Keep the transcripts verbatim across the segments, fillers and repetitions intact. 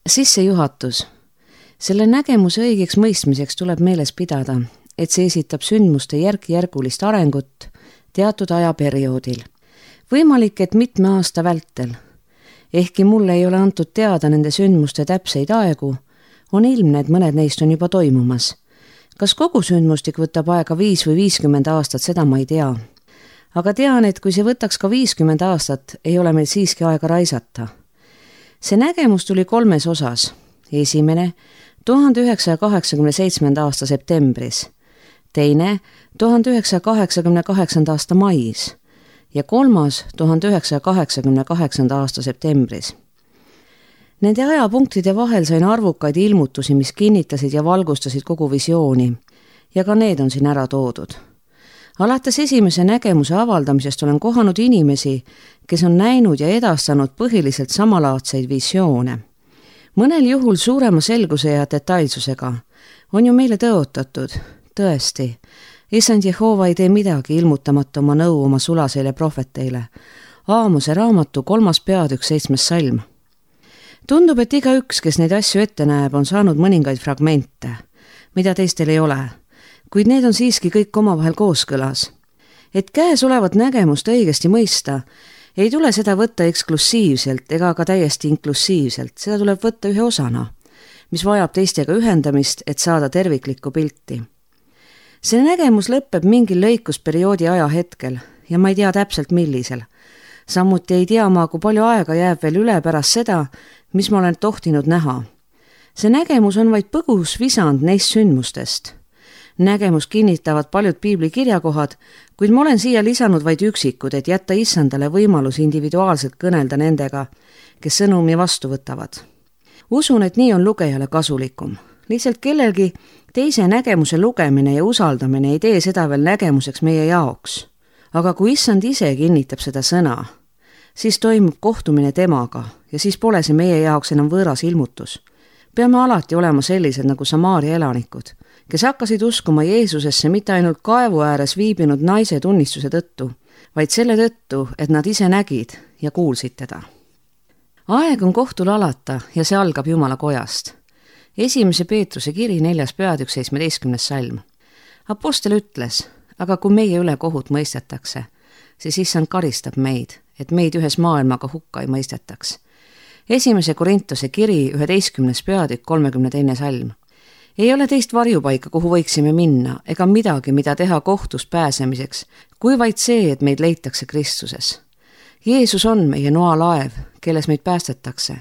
Sissejuhatus. Selle nägemuse õigeks mõistmiseks tuleb meeles pidada, et see esitab sündmuste järk-järgulist arengut teatud ajaperioodil. Võimalik, et mitme aasta vältel. Ehkki mulle ei ole antud teada nende sündmuste täpseid aegu, on ilmne, et mõned neist on juba toimumas. Kas kogu sündmustik võtab aega viis või viiskümmend aastat, seda ma ei tea. Aga tean, et kui see võtaks ka viiskümmend aastat, ei ole meil siiski aega raisata. See nägemus tuli kolmes osas. Esimene, tuhande üheksasaja kaheksakümne seitsmenda aasta septembris. Teine, tuhande üheksasaja kaheksakümne kaheksanda aasta mais. Ja kolmas, tuhande üheksasaja kaheksakümne kaheksanda aasta septembris. Nende ajapunktide vahel sain arvukaid ilmutusi, mis kinnitasid ja valgustasid kogu visiooni. Ja ka need on siin ära toodud. Alates esimese nägemuse avaldamisest olen kohanud inimesi, kes on näinud ja edastanud põhiliselt samalaadseid visioone. Mõnel juhul suurema selguse ja detailsusega on ju meile tõotatud, tõesti, Issand Jehova ei tee midagi ilmutamata oma nõu oma sulaseile prohveteile. Aamose raamatu kolmas peatükk seitsmes salm. Tundub, et iga üks, kes neid asju ette näeb, on saanud mõningaid fragmente, mida teistel ei ole. Kuid need on siiski kõik omavahel kooskõlas. Et käes olevat nägemust õigesti mõista, ei tule seda võtta eksklusiivselt ega ka täiesti inklusiivselt, seda tuleb võtta ühe osana, mis vajab teistega ühendamist, et saada terviklikku pilti. See nägemus lõpeb mingil lõikusperioodi ajahetkel ja ma ei tea täpselt millisel. Samuti ei tea ma, kui palju aega jääb veel üle pärast seda, mis ma olen tohtinud näha. See nägemus on vaid põgus visand neist sündmustest. Nägemus kinnitavad paljud piibli kirjakohad, kuid ma olen siia lisanud vaid üksikud, et jätta issandale võimalus individuaalselt kõnelda nendega, kes sõnumi vastu võtavad. Usun, et nii on lugejale kasulikum. Lihtsalt kellelgi teise nägemuse lugemine ja usaldamine ei tee seda veel nägemuseks meie jaoks. Aga kui issand ise kinnitab seda sõna, siis toimub kohtumine temaga ja siis pole see meie jaoks enam võõras ilmutus. Peame alati olema sellised nagu Samaaria elanikud, kes hakkasid uskuma Jeesusesse mitte ainult kaevu ääres viibinud naise tunnistuse tõttu, vaid selle tõttu, et nad ise nägid ja kuulsid teda. Aeg on kohtul alata ja see algab Jumala kojast. Esimese Peetruse kiri neljas peatükk seitsmeteistkümnes salm. Apostel ütles, aga kui meie üle kohut mõistetakse, siis issand karistab meid, et meid ühes maailmaga hukka ei mõistetaks. Esimese Korintuse kiri üheteistkümnes peatükk kolmekümne teine salm. Ei ole teist varjupaika, kuhu võiksime minna, ega midagi, mida teha kohtus pääsemiseks, kui vaid see, et meid leitakse Kristuses. Jeesus on meie noalaev, kelles meid päästetakse.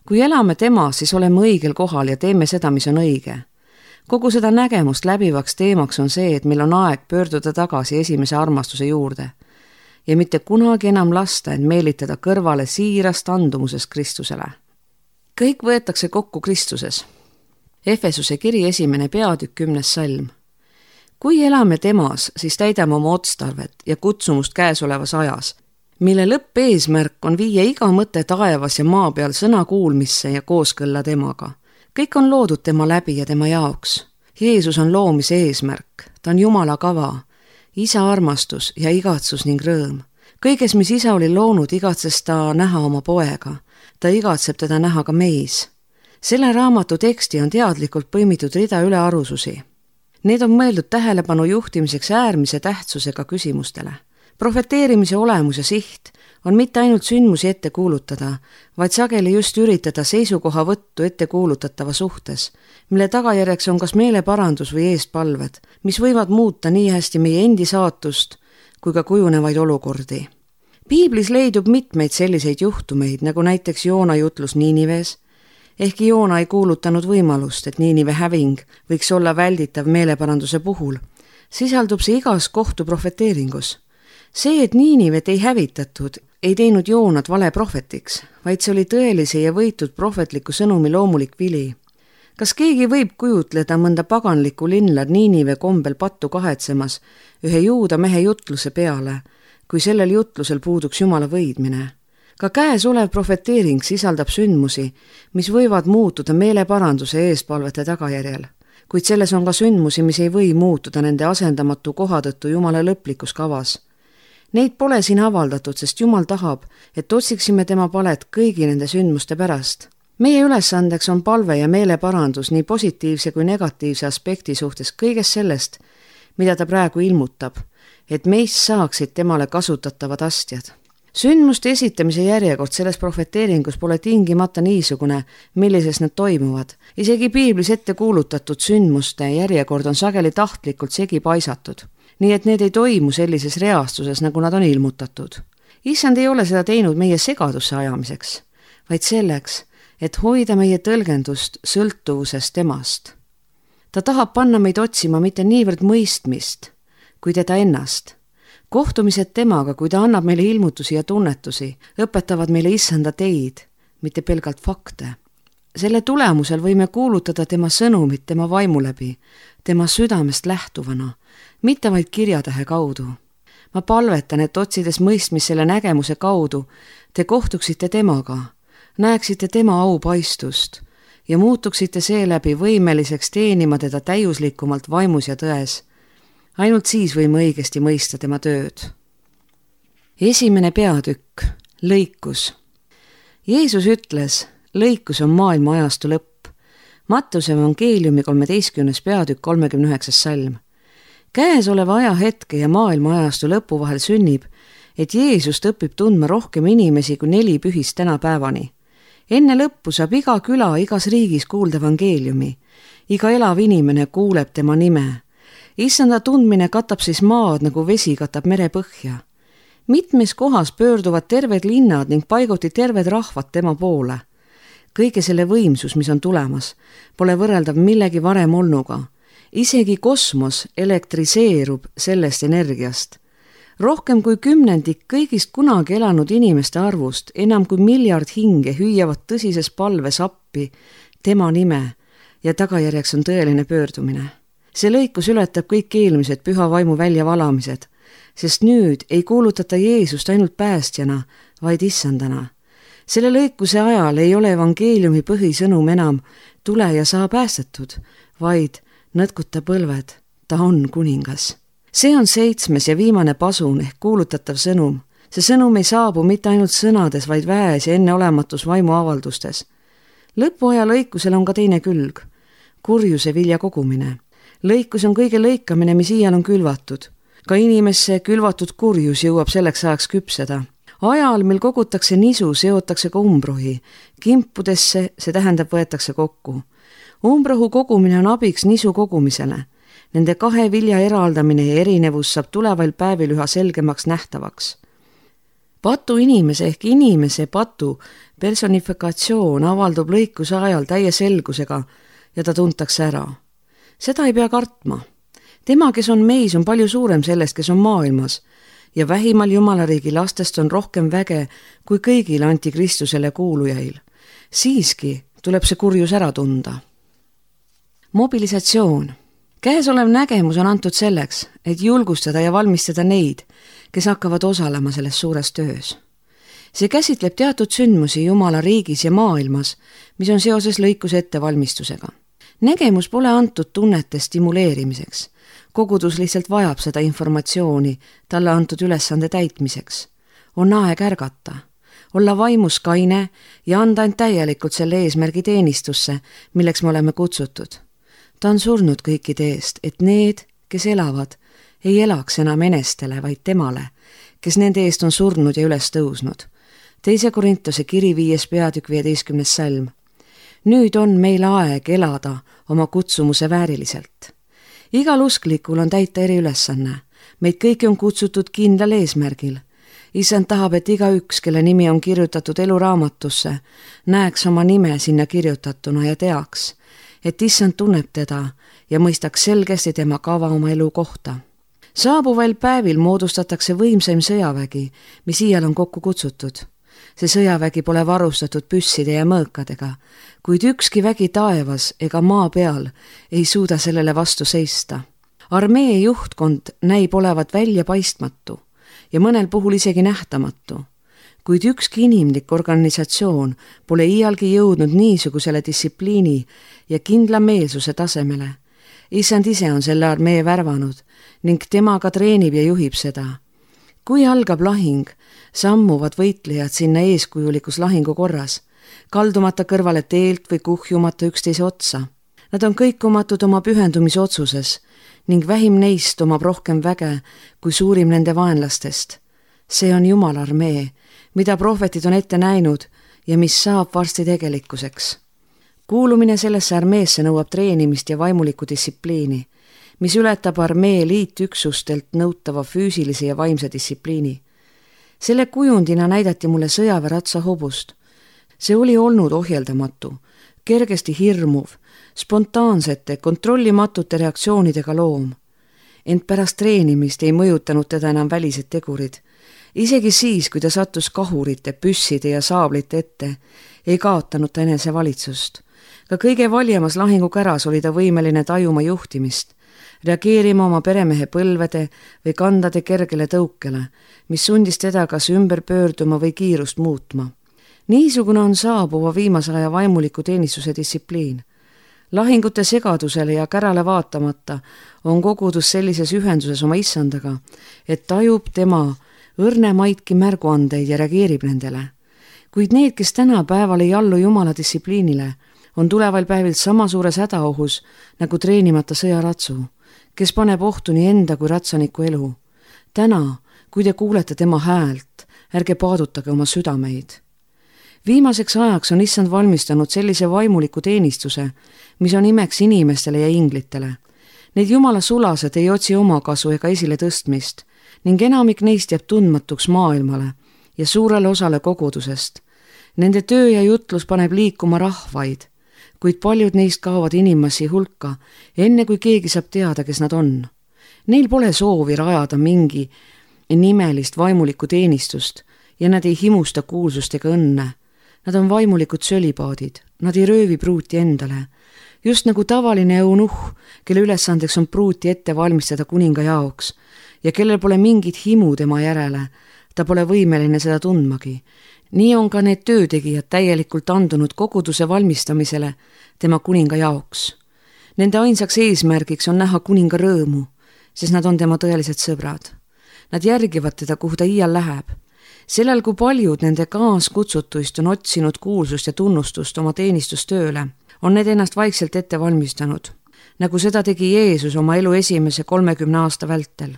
Kui elame tema, siis oleme õigel kohal ja teeme seda, mis on õige. Kogu seda nägemust läbivaks teemaks on see, et meil on aeg pöörduda tagasi esimese armastuse juurde ja mitte kunagi enam lasta end meelitada kõrvale siirast andumusest Kristusele. Kõik võetakse kokku Kristuses. Efesuse kiri esimene peatükk kümnes salm. Kui elame temas, siis täidame oma otstarvet ja kutsumust käesolevas ajas, mille lõppeesmärk on viia iga mõte taevas ja maa peal sõna kuulmisse ja kooskõlla temaga. Kõik on loodud tema läbi ja tema jaoks. Jeesus on loomise eesmärk, ta on Jumala kava, isa armastus ja igatsus ning rõõm. Kõiges, mis isa oli loonud, igatses ta näha oma poega. Ta igatseb teda näha ka meis. Selle raamatu teksti on teadlikult põimitud rida ülearususi. Need on mõeldud tähelepanu juhtimiseks äärmise tähtsusega küsimustele. Profeteerimise olemus ja siht on mitte ainult sündmusi ette kuulutada, vaid sageli just üritada seisukoha võttu ette kuulutatava suhtes, mille tagajärjeks on kas meeleparandus või eestpalved, mis võivad muuta nii hästi meie endi saatust kui ka kujunevaid olukordi. Piiblis leidub mitmeid selliseid juhtumeid, nagu näiteks Joona jutlus Niinives, ehkki Joona ei kuulutanud võimalust, et Niinive häving võiks olla välditav meeleparanduse puhul, sisaldub see igas kohtu profeteeringus. See, et Niinivet ei hävitatud, ei teinud Joonat vale prohvetiks, vaid see oli tõelise ja võitud prohvetliku sõnumi loomulik vili. Kas keegi võib kujutleda mõnda paganlikku linla Niinive kombel pattu kahetsemas ühe juuda mehe jutluse peale, kui sellel jutlusel puuduks Jumala võidmine? Ka käes olev profeteering sisaldab sündmusi, mis võivad muutuda meeleparanduse eespalvete tagajärjel, kuid selles on ka sündmusi, mis ei või muutuda nende asendamatu koha tõttu Jumala lõplikus kavas. Neid pole siin avaldatud, sest Jumal tahab, et otsiksime tema palet kõigi nende sündmuste pärast. meie ülesandeks on palve ja meeleparandus nii positiivse kui negatiivse aspekti suhtes kõigest sellest, mida ta praegu ilmutab, et meist saaksid temale kasutatavad astjad. Sündmuste esitamise järjekord selles profeteeringus pole tingimata niisugune, millises need toimuvad. Isegi piiblis ette kuulutatud sündmuste järjekord on sageli tahtlikult segi paisatud, nii et need ei toimu sellises reastuses, nagu nad on ilmutatud. Issand ei ole seda teinud meie segadusse ajamiseks, vaid selleks, et hoida meie tõlgendust sõltuvusest temast. Ta tahab panna meid otsima mitte niivõrd mõistmist, kui teda ennast. Kohtumised temaga, kui ta annab meile ilmutusi ja tunnetusi, õpetavad meile issanda teid, mitte pelgalt fakte. Selle tulemusel võime kuulutada tema sõnumit tema vaimu läbi, tema südamest lähtuvana, mitte vaid kirjatähe kaudu. Ma palvetan, et otsides mõistmist selle nägemuse kaudu, te kohtuksite temaga, näeksite tema aupaistust ja muutuksite seeläbi võimeliseks teenima teda täiuslikumalt vaimus ja tões. Ainult siis võime õigesti mõista tema tööd. Esimene peatükk, lõikus. Jeesus ütles, lõikus on maailma ajastu lõpp. Mattuse evangeeliumi kolmeteistkümnes peatükk kolmekümne üheksas salm. Käesoleva ajahetke ja maailma ajastu lõpu vahel sünnib, et Jeesust õpib tundma rohkem inimesi kui neli pühist tänapäevani. Enne lõppu saab iga küla igas riigis kuulda evangeeliumi. Iga elav inimene kuuleb tema nime. Issanda tundmine katab siis maad, nagu vesi katab merepõhja. Mitmes kohas pöörduvad terved linnad ning paiguti terved rahvad tema poole. Kõige selle võimsus, mis on tulemas, pole võrreldav millegi varem olnuga. Isegi kosmos elektriseerub sellest energiast. Rohkem kui kümnendik kõigist kunagi elanud inimeste arvust, enam kui miljard hinge hüüavad tõsises palves appi tema nime ja tagajärjeks on tõeline pöördumine. See lõikus ületab kõik eelmised püha vaimu väljavalamised, sest nüüd ei kuulutata Jeesust ainult päästjana, vaid issandana. Selle lõikuse ajal ei ole evangeeliumi põhisõnum enam tule ja saa päästetud, vaid nõtkuta põlved, ta on kuningas. See on seitsmes ja viimane pasun ehk kuulutatav sõnum. See sõnum ei saabu mitte ainult sõnades, vaid väes ja enneolematus vaimu avaldustes. Lõpuaja lõikusel on ka teine külg, kurjuse vilja kogumine. Lõikus on kõige lõikamine, mis iial on külvatud. Ka inimesse külvatud kurjus jõuab selleks ajaks küpseda. Ajal, mil kogutakse nisu, seotakse ka umbrohi. Kimpudesse, see tähendab, võetakse kokku. Umbrohu kogumine on abiks nisu kogumisele. Nende kahe vilja eraldamine ja erinevus saab tuleval päevil üha selgemaks nähtavaks. Patu inimese ehk inimese patu personifikatsioon avaldub lõikuse ajal täie selgusega ja ta tuntakse ära. Seda ei pea kartma. Tema, kes on meis, on palju suurem sellest, kes on maailmas ja vähimal Jumalariigi lastest on rohkem väge kui kõigil antikristusele kuulujail. Siiski tuleb see kurjus ära tunda. Mobilisatsioon. Käesolev nägemus on antud selleks, et julgustada ja valmistada neid, kes hakkavad osalema selles suures töös. See käsitleb teatud sündmusi Jumala riigis ja maailmas, mis on seoses lõikuse ettevalmistusega. Nägemus pole antud tunnete stimuleerimiseks. Kogudus lihtsalt vajab seda informatsiooni talle antud ülesande täitmiseks. On aeg ärgata, olla vaimus kaine ja anda end täielikult selle eesmärgi teenistusse, milleks me oleme kutsutud. Ta on surnud kõikide eest, et need, kes elavad, ei elaks enam enestele, vaid temale, kes nende eest on surnud ja üles tõusnud. Teise Korintuse kiri viies peatükk viieteistkümnes salm. Nüüd on meil aeg elada oma kutsumuse vääriliselt. Igal usklikul on täita eri ülesanne. Meid kõiki on kutsutud kindlal eesmärgil. Issand tahab, et iga üks, kelle nimi on kirjutatud eluraamatusse, näeks oma nime sinna kirjutatuna ja teaks, et issand tunneb teda ja mõistaks selgesti tema kava oma elu kohta. Saabuval päevil moodustatakse võimsaim sõjavägi, mis iial on kokku kutsutud. See sõjavägi pole varustatud püsside ja mõõkadega, kuid ükski vägi taevas ega maa peal ei suuda sellele vastu seista. Armee juhtkond näib olevat välja paistmatu ja mõnel puhul isegi nähtamatu, kuid ükski inimlik organisatsioon pole iialgi jõudnud niisugusele distsipliini ja kindla meelsuse tasemele. Issand ise on selle armee värvanud ning temaga treenib ja juhib seda. Kui algab lahing, sammuvad võitlejad sinna eeskujulikus lahingu korras. kaldumata kõrvale teelt või kuhjumata üksteise otsa. Nad on kõikumatud oma pühendumise otsuses ning vähim neist omab rohkem väge kui suurim nende vaenlastest. See on Jumala armee, mida prohvetid on ette näinud ja mis saab varsti tegelikkuseks. Kuulumine sellesse armeesse nõuab treenimist ja vaimulikku distsipliini, mis ületab armee liitüksustelt nõutava füüsilise ja vaimse distsipliini. Selle kujundina näidati mulle sõjaväeratsa hobust. See oli olnud ohjeldamatu, kergesti hirmuv, spontaansete, kontrollimatute reaktsioonidega loom. Ent pärast treenimist ei mõjutanud teda enam välised tegurid. Isegi siis, kui ta sattus kahurite, püsside ja saablite ette, ei kaotanud ta enese valitsust. Ka kõige valjemas lahingukäras oli ta võimeline tajuma juhtimist, reageerima oma peremehe põlvede või kandade kergele tõukele, mis sundis teda kas ümber pöörduma või kiirust muutma. Niisugune on saabuva viimase aja vaimuliku teenistuse distsipliin. Lahingute segadusele ja kärale vaatamata on kogudus sellises ühenduses oma issandaga, et tajub tema õrnemaidki märguandeid ja reageerib nendele. Kuid need, kes tänapäeval ei allu Jumala distsipliinile, on tuleval päevil sama suures hädaohus nagu treenimata sõjaratsu, kes paneb ohtu nii enda kui ratsaniku elu. Täna, kui te kuulete tema häält, ärge paadutage oma südameid. Viimaseks ajaks on issand valmistanud sellise vaimuliku teenistuse, mis on imeks inimestele ja inglitele. Need Jumala sulased ei otsi oma kasu ega esile tõstmist ning enamik neist jääb tundmatuks maailmale ja suurele osale kogudusest. Nende töö ja jutlus paneb liikuma rahvaid, kuid paljud neist kaovad inimmassi hulka, enne kui keegi saab teada, kes nad on. Neil pole soovi rajada mingi nimelist vaimulikku teenistust ja nad ei himusta kuulsust ega õnne. Nad on vaimulikud sölipaadid, nad ei röövi pruuti endale. Just nagu tavaline eunuh, kelle ülesandeks on pruuti ette valmistada kuninga jaoks ja kellel pole mingit himu tema järele, ta pole võimeline seda tundmagi. Nii on ka need töötegijad täielikult andunud koguduse valmistamisele tema kuninga jaoks. Nende ainsaks eesmärgiks on näha kuninga rõõmu, sest nad on tema tõelised sõbrad. Nad järgivad teda, kuhu ta iial läheb. Sellel, kui paljud nende kaaskutsutuist on otsinud kuulsust ja tunnustust oma teenistustööle, on need ennast vaikselt ette valmistanud, nagu seda tegi Jeesus oma elu esimese kolmekümne aasta vältel.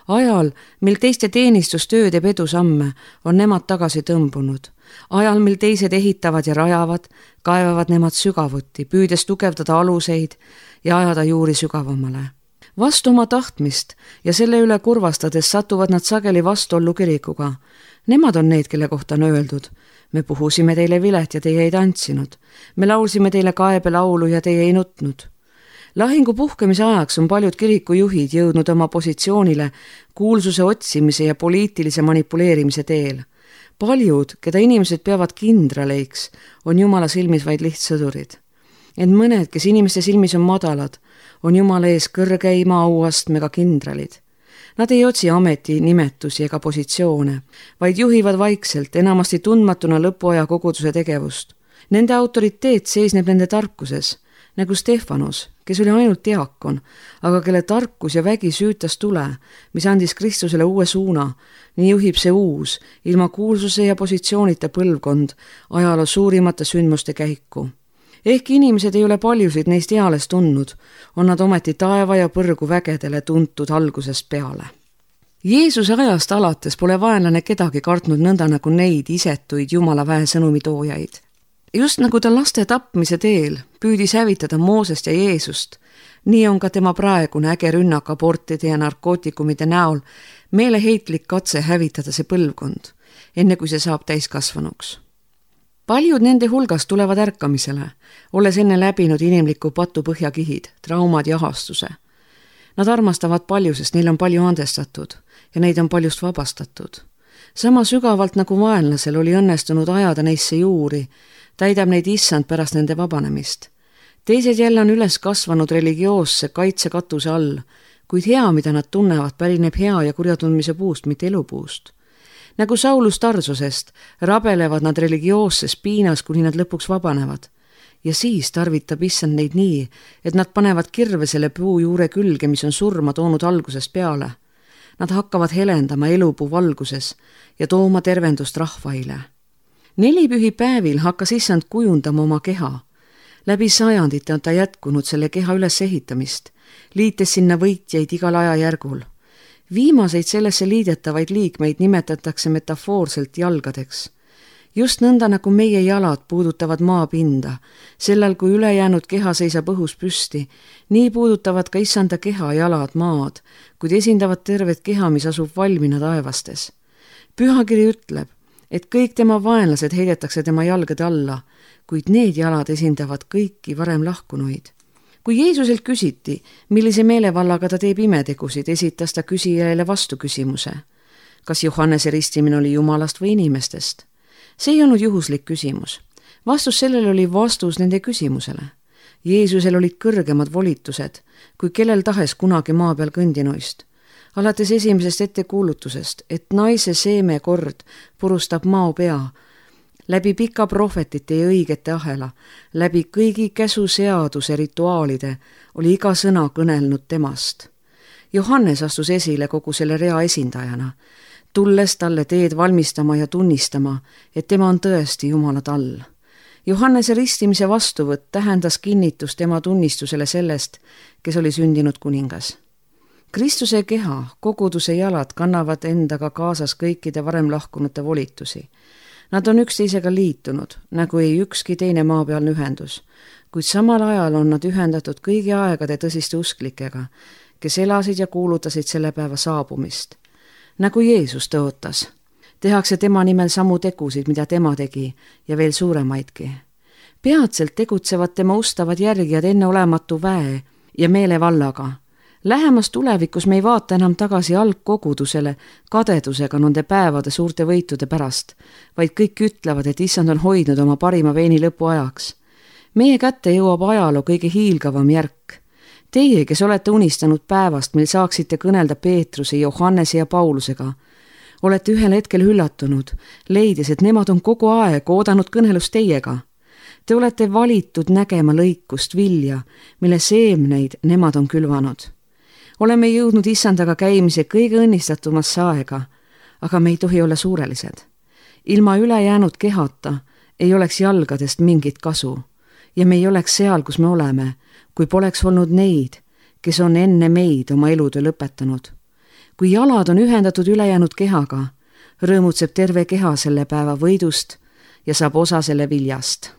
Ajal, mil teiste teenistustöö teeb edusamme, on nemad tagasi tõmbunud. Ajal, mil teised ehitavad ja rajavad, kaevavad nemad sügavuti, püüdes tugevdada aluseid ja ajada juuri sügavamale. Vastu oma tahtmist ja selle üle kurvastades satuvad nad sageli vastuollu kirikuga. Nemad on need, kelle kohta on öeldud. Me puhusime teile vilet ja teie ei tantsinud. Me laulsime teile kaebelaulu ja teie ei nutnud. Lahingu puhkemise ajaks on paljud kirikujuhid jõudnud oma positsioonile kuulsuse otsimise ja poliitilise manipuleerimise teel. Paljud, keda inimesed peavad kindraleiks, on Jumala silmis vaid lihtsõdurid. Ent mõned, kes inimeste silmis on madalad, on Jumala ees kõrgeima auastmega kindralid. Nad ei otsi ameti, nimetusi ega positsioone, vaid juhivad vaikselt, enamasti tundmatuna lõpuaja koguduse tegevust. Nende autoriteet seisneb nende tarkuses, nagu Stefanos, kes oli ainult diakon, aga kelle tarkus ja vägi süütas tule, mis andis Kristusele uue suuna. Nii juhib see uus, ilma kuulsuse ja positsioonita põlvkond ajaloo suurimate sündmuste käiku. Ehk inimesed ei ole paljusid neist eales tundnud, on nad ometi taeva ja põrgu vägedele tuntud algusest peale. Jeesuse ajast alates pole vaenlane kedagi kartnud nõnda nagu neid isetuid Jumala väe sõnumitoojaid. Just nagu ta laste tapmise teel püüdis hävitada Moosest ja Jeesust, nii on ka tema praegune äge rünnak abortide ja narkootikumide näol meeleheitlik katse hävitada see põlvkond, enne kui see saab täiskasvanuks. Paljud nende hulgast tulevad ärkamisele, olles enne läbinud inimliku patu põhjakihid, traumad ja ahastuse. Nad armastavad palju, sest neil on palju andestatud ja neid on paljust vabastatud. Sama sügavalt nagu vaenlasel oli õnnestunud ajada neisse juuri, täidab neid issand pärast nende vabanemist. Teised jälle on üles kasvanud religioosse kaitsekatuse all, kuid hea, mida nad tunnevad, pärineb hea ja kurjatundmise puust, mitte elupuust. Nagu Saulus Tarsusest rabelevad nad religioosses piinas, kuni nad lõpuks vabanevad. Ja siis tarvitab issand neid nii, et nad panevad kirve selle puu juure külge, mis on surma toonud algusest peale. Nad hakkavad helendama elupuu valguses ja tooma tervendust rahvaile. Nelipühipäevil hakkas issand kujundama oma keha. Läbi sajandite on ta jätkunud selle keha ülesehitamist, liites sinna võitjaid igal ajajärgul. Viimaseid sellesse liidetavaid liikmeid nimetatakse metafoorselt jalgadeks. Just nõnda nagu meie jalad puudutavad maapinda, sellel kui ülejäänud keha seisab õhus püsti, nii puudutavad ka issanda keha jalad maad, kuid esindavad tervet keha, mis asub valmina taevastes. Pühakiri ütleb, et kõik tema vaenlased heidetakse tema jalgade alla, kuid need jalad esindavad kõiki varem lahkunuid. Kui Jeesuselt küsiti, millise meelevallaga ta teeb imetegusid, esitas ta küsijale vastu küsimuse. Kas Johannese ristimine oli Jumalast või inimestest? See ei olnud juhuslik küsimus. Vastus sellele oli vastus nende küsimusele. Jeesusel olid kõrgemad volitused, kui kellel tahes kunagi maa peal kõndinuist. Alates esimesest ettekuulutusest, et naise seeme kord purustab mao pea, läbi pika prohvetite ja õigete ahela, läbi kõigi käsuseaduse rituaalide oli iga sõna kõnelnud temast. Johannes astus esile kogu selle rea esindajana, tulles talle teed valmistama ja tunnistama, et tema on tõesti Jumala tall. Johannese ristimise vastuvõtt tähendas kinnitust tema tunnistusele sellest, kes oli sündinud kuningas. Kristuse keha, koguduse jalad kannavad endaga kaasas kõikide varem lahkunute volitusi. Nad on üksteisega liitunud, nagu ei ükski teine maapealne ühendus, kuid samal ajal on nad ühendatud kõigi aegade tõsiste usklikega, kes elasid ja kuulutasid selle päeva saabumist. Nagu Jeesus tõotas, tehakse tema nimel samu tegusid, mida tema tegi, ja veel suuremaidki. Peatselt tegutsevad tema ustavad järgijad enneolematu väe ja meelevallaga. Lähemas tulevikus me ei vaata enam tagasi algkogudusele kadedusega nende päevade suurte võitude pärast, vaid kõik ütlevad, et issand on hoidnud oma parima veeni lõpuajaks. Meie kätte jõuab ajaloo kõige hiilgavam järk. Teie, kes olete unistanud päevast, mil saaksite kõnelda Peetruse, Johannese ja Paulusega, olete ühel hetkel üllatunud, leides, et nemad on kogu aeg oodanud kõnelust teiega. Te olete valitud nägema lõikust vilja, mille seemneid nemad on külvanud. Oleme jõudnud issandaga käimise kõige õnnistatumasse aega, aga me ei tohi olla suurelised. Ilma ülejäänud kehata ei oleks jalgadest mingit kasu ja me ei oleks seal, kus me oleme, kui poleks olnud neid, kes on enne meid oma elutöö lõpetanud. Kui jalad on ühendatud ülejäänud kehaga, rõõmutseb terve keha selle päeva võidust ja saab osa selle viljast.